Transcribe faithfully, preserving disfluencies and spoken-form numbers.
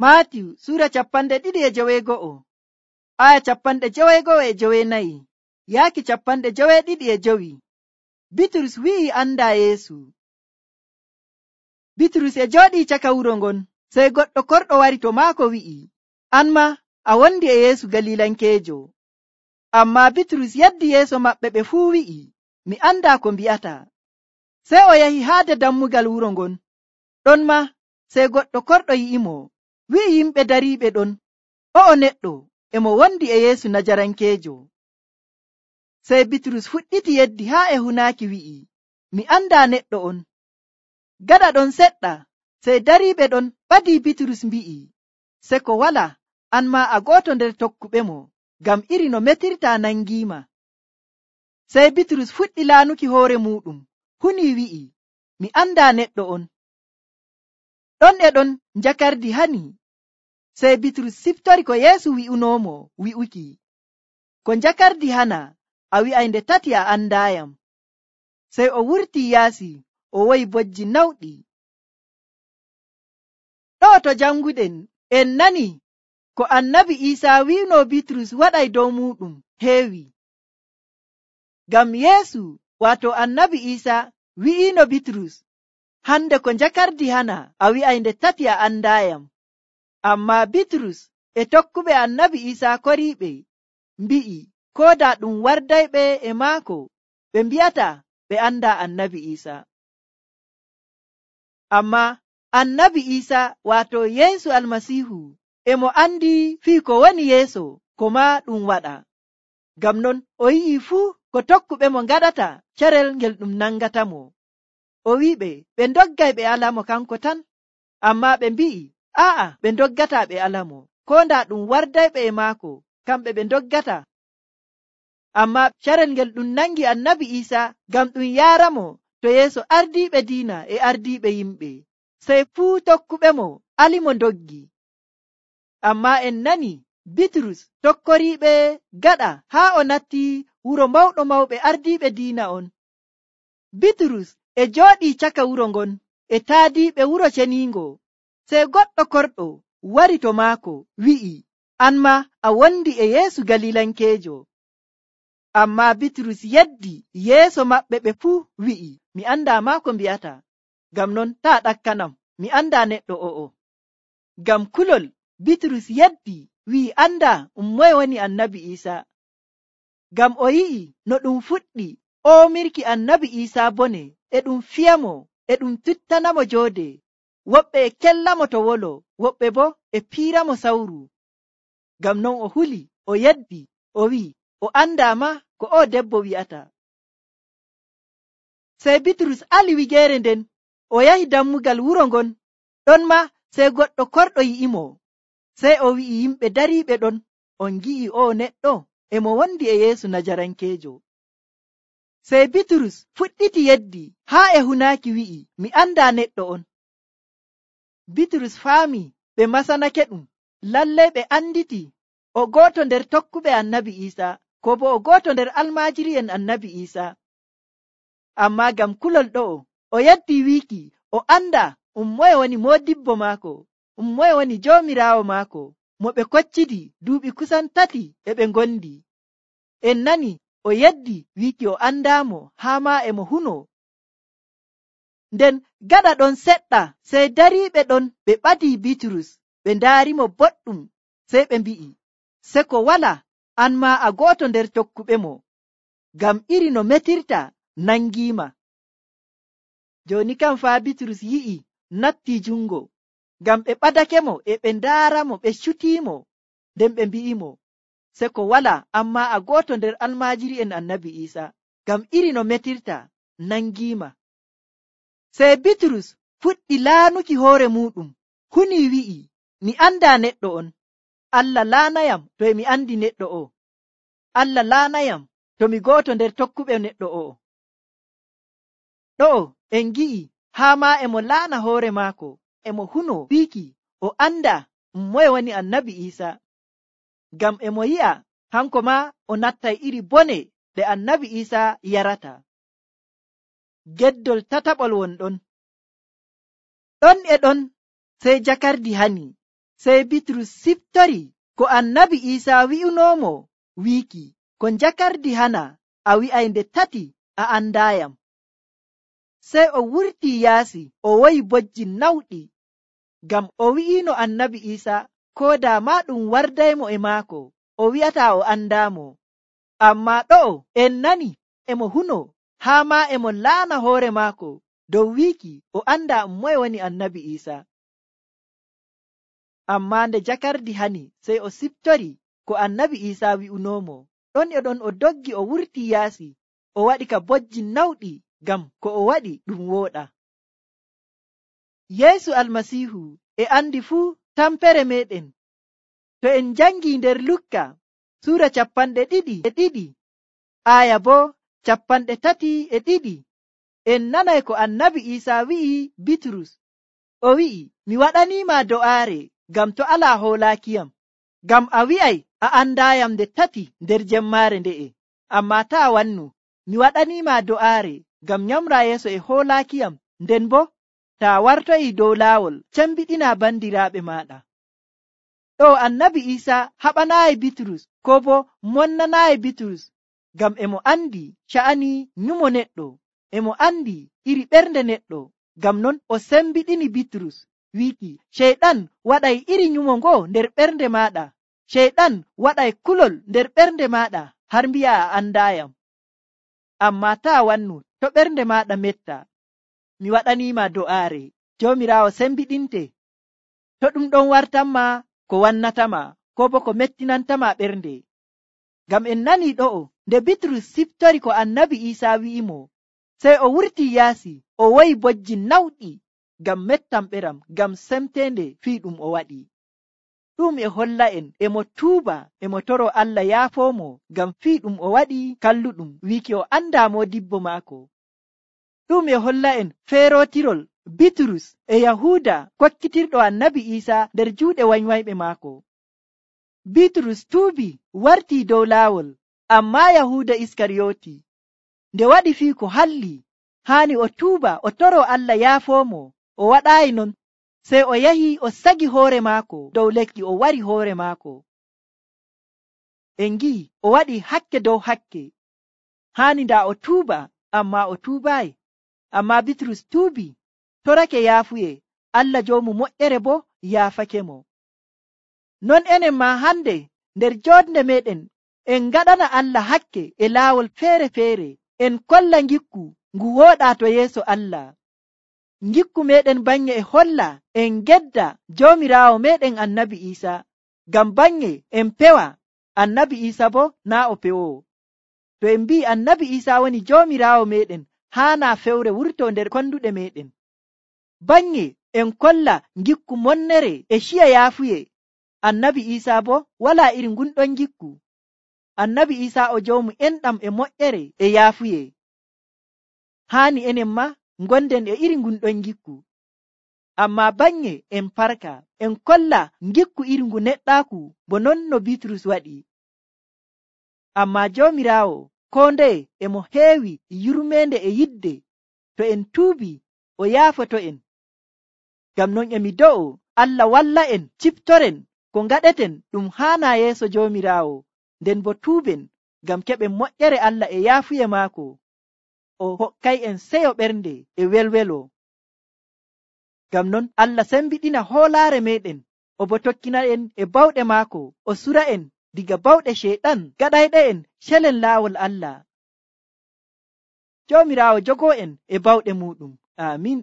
Maatiyu Sura capanɗe ɗiɗi e joweego'o, aya capanɗe joweego'o e jowenayi, yaaki capanɗe joweeɗiɗi e jowi. Bitrus wi'i anda Yeesu. Bitrus e jooɗii caka wuro ngon, sey goɗɗo korɗo wari to maako wi'i, an ma a wondi e Yeesu Galilankeejo. Ammaa Bitrus yaddi yeeso maɓɓe ɓe fuu wi'i, mi andaa ko mbi'ata. Sey o yahi haade dammugal wuro ngon. Ɗon ma sey goɗɗo korɗo yi'imo, wi'i yimɓe dariiɓe ɗon, o'o neɗɗo e mo wondi e Yeesu Najarankeejo. Sey Bitrus fuɗɗiti yeddi haa e hunaaki wi'i, mi andaa neɗɗo on. Gaɗa ɗon seɗɗa, sey dariiɓe ɗon ɓadii Bitrus mbi'i, seko wala, an ma a gooto nder tokkuɓe mo, ngam iri no metirtaa nangiima. Sey Bitrus fuɗɗi laanuki hoore muuɗum, hunii wi'i, mi andaa neɗɗo on. Ɗon e ɗon njakardi hani, sey Bitrus siftori ko Yeesu wi'unoomo wi'uki, ko njakardi hana, a wi'ay nde tati a andaayam. Sey o wurtii yaasi, o woyi bojji nawɗi. Ɗo to janguɗen en nani ko annabi Iisaa wi'uno Bitrus waɗay dow muuɗum heewi. Ngam Yeesu waato annabi Iisaa wi'iino Bitrus, hande ko njakardi hana, a wi'ay nde tati a andaayam. Ammaa Bitrus e tokkuɓe annabi Iisaa koriiɓe mbi'i, kooda ɗum wardayɓe e maako ɓe mbi'ata ɓe andaa annabi Iisaa. Ammaa annabi Iisaa waato Yeesu Almasiihu e mo andi fii ko woni yeeso ko maa ɗum waɗa. Ngam non o yi'i fuu ko tokkuɓe mo ngaɗata carel ngel ɗum nangatamo. O wi'iɓe ɓe ndoggay ɓe alamo kanko tan, ammaa ɓe mbi'i aa'a ɓe ndoggata ɓe alamo, ko ndaa ɗum wardayɓe e maako kamɓe ɓe ndoggata. Ammaa carel ngel ɗum nangi annabi Iisaa ngam ɗum yaaramo to yeeso ardiiɓe diina e ardiiɓe yimɓe, sey fuu tokkuɓe mo alimo ndoggi. Ammaa en nani Bitrus tokkoriiɓe gaɗa haa o natti wuro mawɗo mawɓe ardiiɓe diina on. Bitrus e jooɗii caka wuro ngon e taadiiɓe wuro ceniingo, sey goɗɗo korɗo wari to maako wi'i, an ma a wondi e Yeesu Galilankeejo. Ammaa Bitrus yeddi yeeso maɓɓe ɓe fuu wi'i, mi andaa maa ko mbi'ata, ngam non taa ɗakkanam, mi andaa neɗɗo o'o. Ngam kulol Bitrus yeddi wi'i andaa um moye woni annabi Iisaa. Ngam o yi'i no ɗum fuɗɗi oomirki annabi Iisaa bone, e ɗum fiyamo, e ɗum tuttanamo joode, woɓɓe e kellamo to wolo, woɓɓe bo e piiramo sawru. Ngam non o huli, o yeddi, o wi'i, o andaa ma ko o debbo wi'ata. Sey Bitrus ali wigeere nden, o yahi dammugal wuro ngon. Ɗon ma sey goɗɗo korɗo yi'imo, sey o wi'i yimɓe dariiɓe ɗon, on ngi'i o neɗɗo e mo wondi e Yeesu Najarankeejo. Sey Bitrus fuɗɗiti yeddi haa e hunaaki wi'i, mi andaa neɗɗo on. Bitrus faami ɓe masanake ɗum, lallay ɓe anditi o gooto nder tokkuɓe annabi Iisaa, ko bo o gooto nder almaajiri'en annabi Iisaa. Ammaa ngam kulol ɗo'o, o yeddi wiiki o anda um moye woni moodibbo maako, um moye woni joomiraawo maako, mo ɓe koccidi duuɓi kusan tati e ɓe ngondi. En nani o yeddi wiiki o andaamo haa maa e mo huno. Nden gaɗa ɗon seɗɗa, sey dariiɓe ɗon ɓe ɓadii Bitrus, ɓe ndaarimo boɗɗum, sey ɓe mbi'i, seko wala, an maa a gooto nder tokkuɓe mo, ngam iri no metirta nangiima. Jooni kam faa Bitrus yi'i natti jungo, ngam ɓe ɓadake mo e ɓe ndaaramo, ɓe cutiimo, nden ɓe mbi'imo, seko wala, ammaa a gooto nder almaajiri'en annabi Iisaa, ngam iri no metirta nangiima. Sey Bitrus fuɗɗi laanuki hoore muuɗum, hunii wi'i, mi andaa neɗɗo on. Allah laanayam to e mi andi neɗɗo o. Allah laanayam to mi gooto nder tokkuɓe neɗɗo o. Ɗo'o en gi'i haa maa e mo laana hoore maako, e mo huno wiiki o anda um moye woni annabi Iisaa, ngam e mo yi'a hanko maa o nattay iri bone ɗe annabi Iisaa yarata. Geddol tataɓol won ɗon. Ɗon e ɗon sey jakardi hani, Sey Bitrus siftori ko annabi Iisaa wi'unoomo wiiki, ko njakardi hana a wi'ay nde tati a andaayam. Sey o wurtii yaasi o woyi bojji nawɗi, ngam o wi'iino annabi Iisaa koo daa maa ɗum wardaymo e maako o wi'ataa o andaamo. Ammaa ɗo'o en nani emo huno haa maa emo laana hoore maako dow wiiki o andaa moye woni annabi Iisaa. Ammaa nde jakardi hani sey o siftori ko annabi Iisaa wi'unoomo. Ɗon e ɗon o doggi o wurtii yaasi o waɗi ka bojji nawɗi, ngam ko o waɗi ɗum wooɗa. Yeesu Almasiihu e andi fuu tampere meɗen. To en njangii nder Lukka suura capanɗe ɗiɗi e ɗiɗi aya boo capanɗe tati e ɗiɗi, en nanay ko annabi Iisaa wi'i Bitrus. O wi'i, mi waɗaniima do'aare ngam to alaa hoolaakiyam, ngam a wi'ay a andaayam nde tati nder jemmaare nde'e. Ammaa taa wannu, mi waɗaniima do'aare ngam nyamraa yeeso e hoolaakiyam, nden boo taa wartoyi dow laawol cembiɗinaa bandiraaɓe maaɗa. Ɗo annabi Iisaa haɓanaayi Bitrus koo boo monnanaayi Bitrus, ngam emo andi sha'ani nyumo neɗɗo, emo andi iri ɓernde neɗɗo. Ngam non o sembiɗini Bitrus wiiki, ceyɗan waɗay iri nyumo ngoo nder ɓernde maaɗa, ceyɗan waɗay kulol nder ɓernde maaɗa har mbi'a a andaayam. Ammaa taa wannu, to ɓernde maaɗa metta, mi waɗaniima do'aare. Joomiraawo sembiɗinte. To ɗum ɗon wartanma ko wannatama koo bo ko mettinantama ɓernde. Ngam en nanii ɗo'o nde Bitrus siftori ko annabi Iisaa wi'imo, sey o wurtii yaasi o woyi bojji nawɗi ngam mettamɓeram, ngam semteende fii ɗum o waɗi. Ɗum e holla en emo tuuba emo toro Allah yaafoomo ngam fii ɗum o waɗi kalluɗum wiiki o andaa moodibbo maako. Ɗum e holla en feerootirol Bitrus e Yahuuda kokkitirɗo annabi Iisaa nder juuɗe wanywayɓe maako. Bitrus tuubi wartii dow laawol, ammaa Yahuuda Iskariyooti nde waɗi fii ko halli haani o tuuba o toro Allah yaafoomo, o waɗaayi non. Sey o yahi o sagi hoore maako dow lekki o wari hoore maako. En ngi'i o waɗi hakke dow hakke. Haani ndaa o tuuba, ammaa o tuubaayi. Ammaa Bitrus tuubi, torake yaafuye, Allah joomu moƴƴere boo yaafake mo. Non enen maa hande nder joodnde meɗen en ngaɗana Allah hakke e laawol feere-feere, en kolla ngikku ngu wooɗaa to yeeso Allah. Ngikku meɗen baŋnge e holla en gedda joomiraawo meɗen annabi Iisaa, ngam baŋnge en pewa annabi Iisaa boo naa o pewoo. To en mbi'i annabi Iisaa woni joomiraawo meɗen, haanaa fewre wurtoo nder konduɗe meɗen. Baŋnge en kolla ngikku monnere e ciya yaafuye, annabi Iisaa boo walaa iri ngunɗon ngikku. Annabi Iisaa o joomu enɗam e moƴƴere e yaafuye. Haani enen ma ngonden e iri ngunɗon ngikku. Ammaa baŋnge en parka en kolla ngikku iri ngu neɗɗaaku bo non no Bitrus waɗi. Ammaa joomiraawo koo ndeye emo heewi yurmeende e yidde. To en tuubi o yaafoto en. Ngam non emi do'o Allah walla en ciftoren ko ngaɗeten ɗum haanaa yeeso joomiraawo, nden bo tuuben ngam keɓen moƴƴere Allah e yaafuye maako. O hokkay en seyo ɓernde e welwelo. Ngam non Allah sembiɗina hoolaare meɗen, o bo tokkina en e bawɗe maako, o sura en diga bawɗe ceyɗan gaɗayɗe en celen laawol Allah. Joomiraawo jogoo en e bawɗe muɗum. Aamin.